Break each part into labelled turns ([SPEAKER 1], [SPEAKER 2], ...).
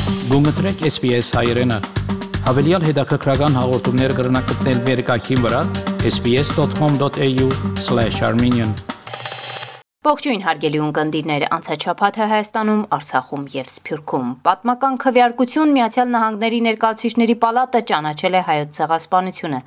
[SPEAKER 1] Գումտրեք SPS հայրենը, հավելյալ հետաքրքրական հաղորդումներ կրնակցնել վերկայքին վրա sbs.com.au/armenian
[SPEAKER 2] Ողջույն հարգելի ունկնդիրներ, անցաչափաթը Հայաստանում, Արցախում եւ Սփյուռքում։ Պատմական քվեարկություն Միացյալ Նահանգների ներկայացուցիչների պալատը ճանաչել է հայոց ցեղասպանությունը։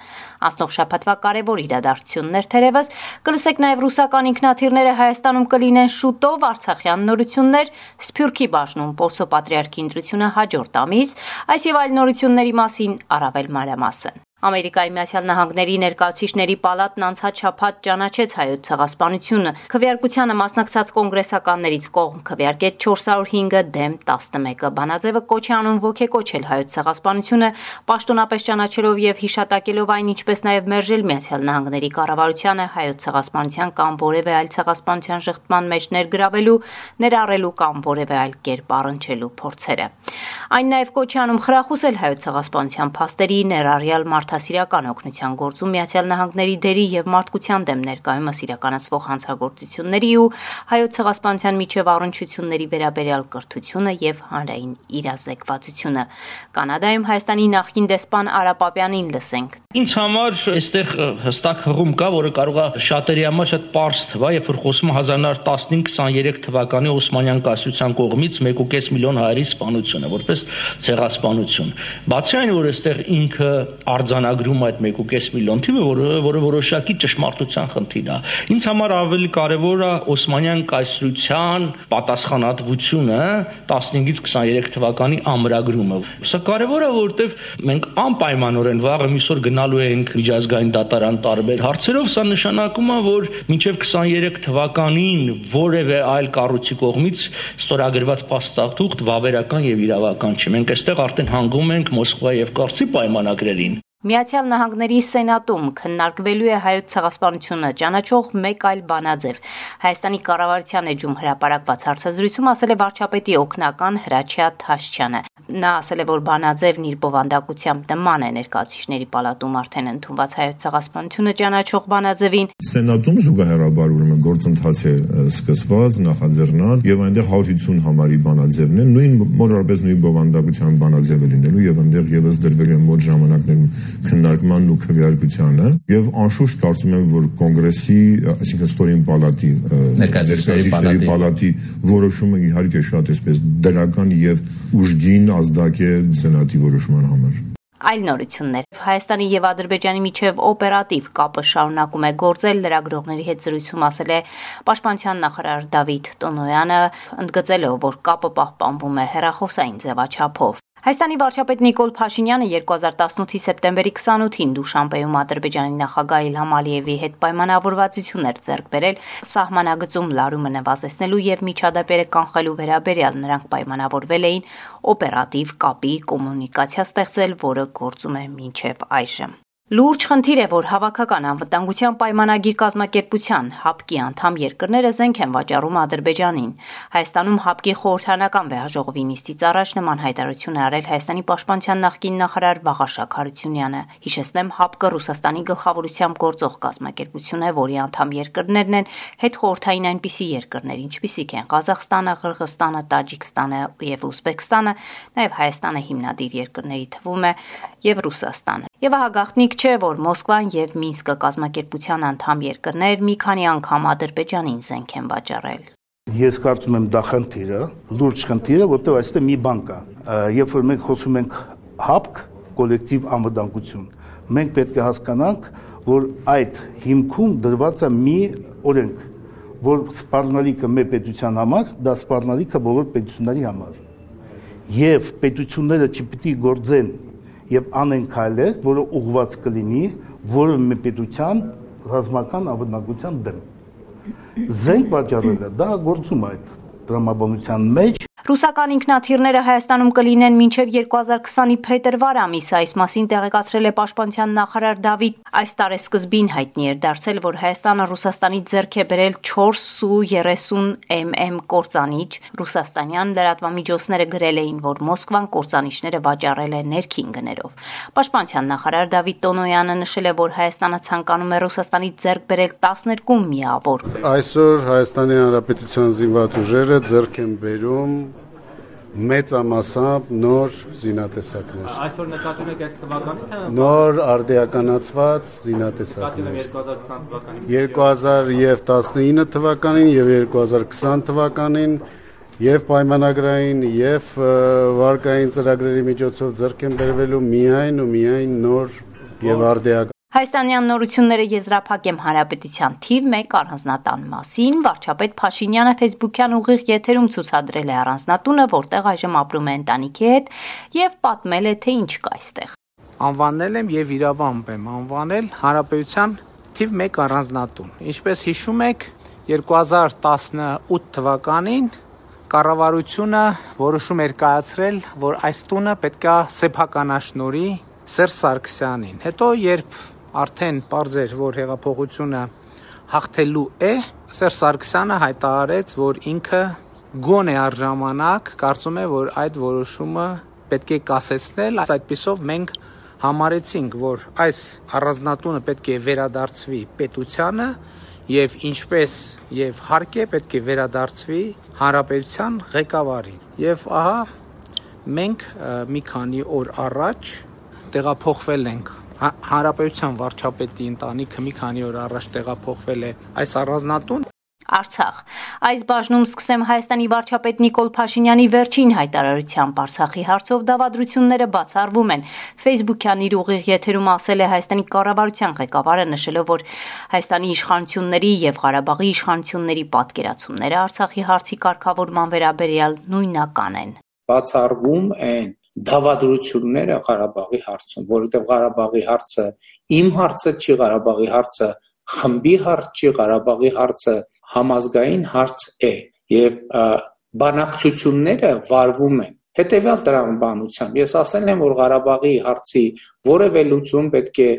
[SPEAKER 2] Անցնող շաբաթվա կարևոր իրադարձություններ թերևս կլսեք նաեւ ռուսական ինքնաթիռները Հայաստանում կլինեն շուտով, արցախյան նորություններ, Սփյուռքի բաժնում Պոլսո պատրիարքի ընտրությունը հաջորդ ամիս, այս եւ այլ նորությունների մասին առավել մանրամասն։ Ամերիկայի Միացյալ Նահանգների ներկայացուցիչների պալատն անցած շաբաթ ճանաչեց հայոց ցեղասպանությունը։ Քվեարկությանը մասնակցած կոնգրեսականներից կողմ քվեարկեց 405-ը դեմ 11-ը։ Բանաձևը կոչ է անում ոգեկոչել հայոց ցեղասպանությունը, պաշտոնապես ճանաչելով եւ հիշատակելով այն, ինչպես նաեւ մերժել Միացյալ Նահանգների կառավարությանը հայոց ցեղասպանության կամ որևէ այլ ցեղասպանության շղթման մեջ ներգրավելու, ներառելու կամ որևէ այլ կերպ առնչելու փորձերը։ Այն նաեւ կոչ է անում խրախուսել հայոց ցեղասպանության փաստերի ներառյալ մարդասիրական օգնության գործում Միացյալ Նահանգների դերի եւ մարդկության դեմ ներկայումս իրականացվող հանցագործությունների ու հայոց ցեղասպանության միջև առնչությունների վերաբերյալ կրթությունը եւ հանրային իրազեկվածությունը։ Կանադայում Հայաստանի նախկին դեսպան Արա Պապյանին լսենք։
[SPEAKER 3] Ինձ համար այստեղ հստակ հղում կա, որը կարող է շատերի համար շատ պարզ թվա, երբ որ խոսում 1915-23 թվականի Օսմանյան կայսրության կողմից 1.5 միլիոն հայերի սպանությունը, որպես ցեղասպանություն։ Բացի այն, որ այստեղ ինքը արձանագրում այդ 1.5 միլիոն թիվը, որը որոշակի ճշմարտության խնդիր է։ Ինձ համար ավելի կարևոր է Օսմանյան կայսրության պատասխանատվությունը 15-23 թվականի ամրագրումը։ Սա կարևոր է, որովհետև մենք անպայմանորեն վաղը միսօր գնալու ենք միջազգային դատարան տարբեր հարցերով, սա նշանակում է, որ մինչև 23 թվականին որևէ այլ կառույցի կողմից ստորագրված փաստաթուղթ վավերական եւ իրավական չի։ Մենք այստեղ արդեն հանգում ենք Մոսկվայի եւ Կարսի պայմանագրերին։
[SPEAKER 2] Միացյալ Նահանգների Սենատում քննարկվելու է հայոց ցեղասպանությունը ճանաչող մեկ այլ բանաձև։ Հայաստանի կառավարության էջում հրապարակված հարցազրույցում ասել է վարչապետի օգնական Հրաչյա Թաշչյանը։ Նա ասել է, որ բանաձևն իր բովանդակությամբ նման է ներկայացուցիչների պալատում արդեն ընդունված հայոց ցեղասպանությունը ճանաչող բանաձևին։
[SPEAKER 4] Սենատում զուգահեռաբար ուրեմն գործընթաց է սկսված, նախաձեռնած եւ այնտեղ 150 համարի բանաձևն է, մոտավորապես նույն բովանդակության բանաձևը լինելու եւ այնտեղ եւս դրվելու է մոտ ժամանակներում քննարկմանն ու քվեարկությանը եւ անշուշտ կարծում եմ, որ կոնգրեսի, այսինքն ստորին պալատի ներկայացուցիչների պալատի որոշումը իհարկե շատ էսպես դրական եւ ուժգին ազդակ է սենատի որոշման համար։
[SPEAKER 2] Այլ նորություններ։ Հայաստանի եւ Ադրբեջանի միջև օպերատիվ կապը շարունակում է գործել, լրագրողների հետ զրույցում ասել է Պաշտպանության նախարար Դավիթ Տոնոյանը, ընդգծելով, որ կապը պահպանվում է հեռախոսային ձևաչափով։ Հայաստանի վարչապետ Նիկոլ Փաշինյանը 2018-ի սեպտեմբերի 28-ին Դուշանբեում Ադրբեջանի նախագահ Իլհամ Ալիևի հետ պայմանավորվածություններ ձեռք բերել սահմանագծում լարումը նվազեցնելու եւ միջադեպերը կանխելու վերաբերյալ նրանք պայմանավորվել էին օպերատիվ կապի կոմունիկացիա ստեղծել, որը գործում է մինչեւ այժմ։ Լուրջ խնդիր է, որ հավաքական անվտանգության պայմանագիր կազմակերպության ՀԱՊԿ-ի անդամ երկրները զենք են վաճառում Ադրբեջանին։ Հայաստանում ՀԱՊԿ-ի խորհրդանական վեհաժողովի նիստից առաջ նման հայտարարություն է արել Հայաստանի պաշտպանության նախկին նախարար Վաղարշակ Հարությունյանը։ Հիշեցնեմ, ՀԱՊԿ-ը Ռուսաստանի գլխավորությամբ գործող կազմակերպություն է, որի անդամ երկրներն են հետխորհրդային այնպիսի երկրներ, ինչպիսիք են Ղազախստանը, Ղրղըզստանը, Տաջիկստանը եւ Ուզբեկստանը, նաեւ Հայաստանը հիմնադիր երկրների թվում է եւ Ռուսաստանը։ Եվ ահա գաղտնիք չէ, որ Մոսկվան եւ Մինսկը կազմակերպության անդամ երկրներ մի քանի անգամ Ադրբեջանին զենք են վաճառել։
[SPEAKER 5] Ես կարծում եմ դա խնդիրը, լուրջ խնդիրը, որտեղ այստեղ մի բան կա։ Երբ որ մենք խոսում ենք ՀԱՊԿ, կոլեկտիվ անվտանգություն, մենք պետք է հասկանանք, որ այդ հիմքում դրված է մի օրենք, որ սպառնալիքը մեր պետության համար, դա սպառնալիքը բոլոր պետությունների համար։ Եվ պետությունները չպիտի գործեն եւ անեն քայլեր, որը ուղղված կլինի որևէ մի պետության ռազմական անվտանգության դեմ։ Զենք վաճառելը դա գործում է այդ տրամաբանության մեջ։
[SPEAKER 2] Ռուսական ինքնաթիռները Հայաստանում կլինեն մինչև 2020-ի փետրվար ամիսը, այս մասին տեղեկացրել է Պաշտպանության նախարար Դավիթ։ Այս տարեսկզբին հայտնի էր դարձել, որ Հայաստանը Ռուսաստանից ձեռք է բերել 4 Su-30mm կործանիչ։ Ռուսաստանյան լրատվամիջոցները գրել էին, որ Մոսկվան կործանիչները վաճառել է ներքին գներով։ Պաշտպանության նախարար Դավիթ Տոնոյանը նշել է, որ Հայաստանը ցանկանում է Ռուսաստանից ձեռք բերել 12 միավոր։
[SPEAKER 6] Այսօր Հայաստանի Հանրապետության զինված ուժերը ձեռք են բերում մեծամասամբ նոր զինատեսակներ։
[SPEAKER 7] Այսօր նկատում եք այս թվականի թե
[SPEAKER 6] նոր արդիականացված զինատեսակներ 2019 թվականին եւ 2020 թվականին եւ պայմանագրային եւ վարկային ծրագրերի միջոցով ձեռք են բերվելու միայն ու միայն նոր եւ արդիական
[SPEAKER 2] Հայաստանյան նորությունները եզրափակեմ Հանրապետության թիվ 1 առանձնատան մասին, վարչապետ Փաշինյանը Facebook-յան ուղիղ եթերում ցուցադրել է առանձնատունը, որտեղ այժմ ապրում է ընտանիքի հետ եւ պատմել է, թե ինչ կա այստեղ։
[SPEAKER 1] Անվանել եմ եւ իրավամբ եմ անվանել Հանրապետության թիվ 1 առանձնատուն։ Ինչպես հիշում եք, 2018 թվականին կառավարությունը որոշում էր կայացրել, որ այս տունը պետքա սեփականաշնորհի Սերժ Սարգսյանին։ Հետո երբ արդեն պարզ էր, որ հեղափոխությունը հաղթելու է, Սերժ Սարգսյանը հայտարարեց, որ ինքը գոնե առժամանակ կարծում է, որ այդ որոշումը պետք է կասեցնել, այդպիսով մենք համարեցինք, որ այս առանձնատունը պետք է վերադարձվի պետությանը եւ ինչպես եւ հարկ է պետք է վերադարձվի հանրապետության ղեկավարին։ Եվ ահա մենք մի քանի օր առաջ տեղափոխվել ենք հանրապետության վարչապետի ընտանիքը մի քանի օր առաջ տեղափոխվել է այս առանձնատուն
[SPEAKER 2] Արցախ։ Այս բաժնում սկսեմ Հայաստանի վարչապետ Նիկոլ Փաշինյանի վերջին հայտարարությամբ Արցախի հարցով դավադրությունները բացառվում են։ Facebook-յան իր ուղիղ եթերում ասել է Հայաստանի կառավարության ղեկավարը, նշելով, որ Հայաստանի իշխանությունների եւ Ղարաբաղի իշխանությունների պատկերացումները Արցախի հարցի կարգավորման վերաբերյալ նույնական են։
[SPEAKER 8] Բացառվում են դավադրությունները Ղարաբաղի հարցում, որովհետև Ղարաբաղի հարցը իմ հարցը չի, Ղարաբաղի հարցը խմբի հարց չի, Ղարաբաղի հարցը համազգային հարց է եւ բանակցությունները վարվում են հետեւյալ տրամաբանությամբ ես ասել եմ որ Ղարաբաղի հարցի որևէ լուծում պետք է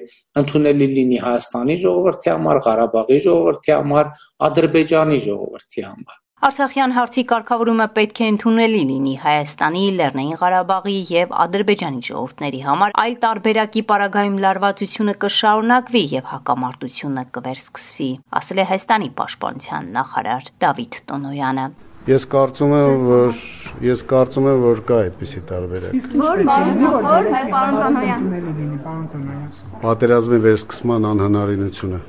[SPEAKER 8] ընդունելի լինի Հայաստանի ժողովրդի համար, Ղարաբաղի ժողովրդի համար, Ադրբեջանի ժողովրդի համար
[SPEAKER 2] Արցախյան հարցի կարգավորումը պետք է ընդունելի լինի Հայաստանի, Լեռնային Ղարաբաղի եւ Ադրբեջանի ժողովուրդների համար, այլ տարբերակի պարագայում լարվածությունը կշարունակվի եւ հակամարտությունը կվերսկսվի, ասել է Հայաստանի պաշտպանության նախարար Դավիթ Տոնոյանը։
[SPEAKER 6] Ես կարծում եմ, որ կա այդպիսի տարբերակ։
[SPEAKER 9] Որ պարոն Տոնոյան։
[SPEAKER 6] Պատերազմի վերսկսման անհնարինությունը։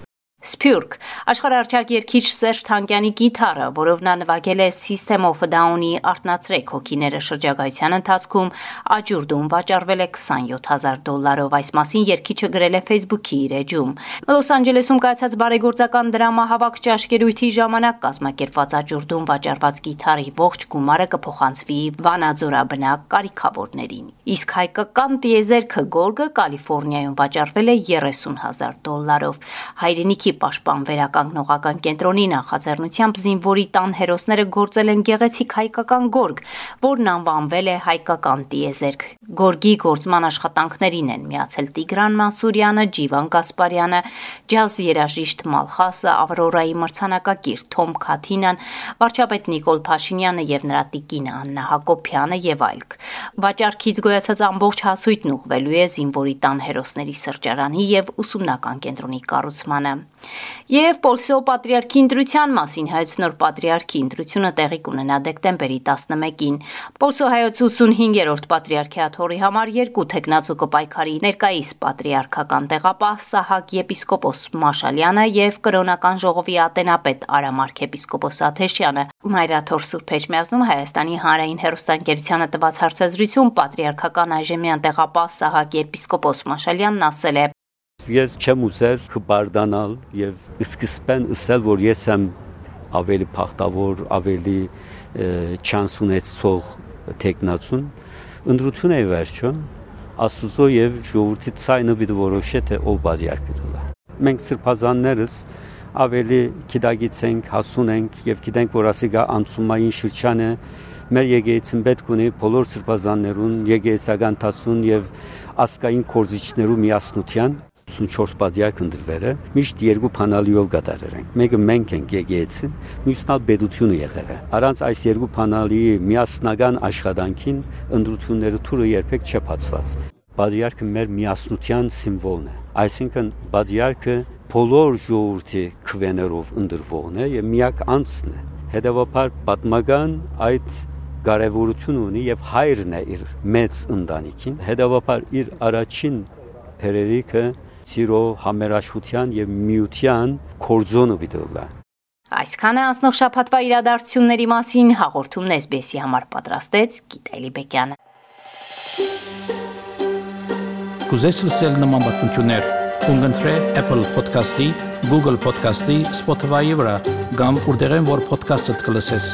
[SPEAKER 2] Սփյուռք աշխարհարչակ երգիչ Սերժ Թանկյանի գիտարը, որով նա նվագել է System of a Down-ի «Արթնացրեք հոգիները» շրջագայության ընթացքում, աճուրդում վաճառվել է $27,000։ Այս մասին երգիչը գրել է Facebook-ի իր էջում։ Լոս Անջելեսում կայացած բարեգործական դրամահավաք ճաշկերույթի ժամանակ կազմակերպված աճուրդում վաճառված գիտարի ողջ գումարը կփոխանցվի վանաձորաբնակ կարիքավորներին։ Իսկ հայկական տիեզերքը գորգը Կալիֆոռնիայում վաճառվել է $30,000։ Հայրենիքի պաշտպան վերականգնողական կենտրոնի նախաձեռնությամբ զինվորի տան հերոսները գործել են գեղեցիկ հայկական գորգ, որն անվանվել է հայկական տիեզերք։ Գորգի գործման աշխատանքներին են միացել Տիգրան Մանսուրյանը, Ջիվան Գասպարյանը, ջազ երաժիշտ Մալխասը, Ավրորայի մրցանակակիր Թոմ Քաթինան, վարչապետ Նիկոլ Փաշինյանը եւ նրա տիկինը Աննա Հակոբյանը եւ այլք։ Վաճառքից գոյացած ամբողջ հասույթն ուղղվելու է զինվորի տան հերոսների սրճարանի եւ ուսումնական կենտրոնի կառուցմանը։ Եվ Պոլսո պատրիարքի ընտրության մասին հայոց նոր պատրիարքի ընտրությունը տեղի կունենա դեկտեմբերի 11-ին։ Պոլսո հայոց 85-րդ պատրիարքիաթոռի համար 2 թեկնածու կպայքարի ներկայիս պատրիարքական տեղապահ Սահակ եպիսկոպոս Մաշալյանը եւ կրոնական ժողովի ատենապետ Արամ arczepiskopos Աթեշյանը։ Մայրաթոր Սուրբ Էջմիածնում Հայաստանի հանրային հեռուստաընկերությանը տված հարցազրույցում պատրիարքական այժմյան տեղապահ Սահակ եպիսկոպոս Մաշալյանն ասել է.
[SPEAKER 10] Ես չեմ ուզեր հբարդանալ եւ սկզբեն ասել, որ ես եմ ավելի փախտավոր, ավելի չանս ունեցող տեխնացուն, ընդրություն է վերջո, Աստուծո եւ ժողովրդի ցայնը պիտի որոշե թե ով բաժակ պիտի լա։ Մենք սրբազաններս ավելի գիտագիտենք, հասուն ենք եւ գիտենք, որ ասիգա անցումային շրջանը մեր եկեղեցին պետք ունի բոլոր սրբազաններուն, եկեղեցական տասուն եւ ասկային կորզիչներու միասնության 84 բաժակ ընդրվերը միշտ երկու փանալիով կատարել ենք։ Մեկը մենք ենք եկեղեցին, մյուսն ալ պետությունը եղել է։ Առանց այս երկու փանալիի միասնական աշխատանքին ընդրությունները թուրը երբեք չփածված։ Բաժակը մեր միասնության սիմվոլն է։ Այսինքն բաժակը բոլոր ժողովրդի քվեներով ընդրվողն է եւ միակ անձն է։ Հետևաբար պատմական այդ կարևորություն ունի եւ հայրն է իր մեծ ընտանիքին, հետեւաբար իր առաջին փերերիկը սիրո, համերաշխության եւ միության կորձոնը բիդոլա։
[SPEAKER 2] Այսքանը անցնող շաբաթվա իրադարձությունների մասին հաղորդումն SBS-ի համար պատրաստեց Գիտալի Բեկյանը։
[SPEAKER 11] Կուզես լսել նման բանություններ, կընտրե Apple Podcast-ի, Google Podcast-ի, Spotify-ի վրա, կամ որտեղեն որ podcast-ը կլսես։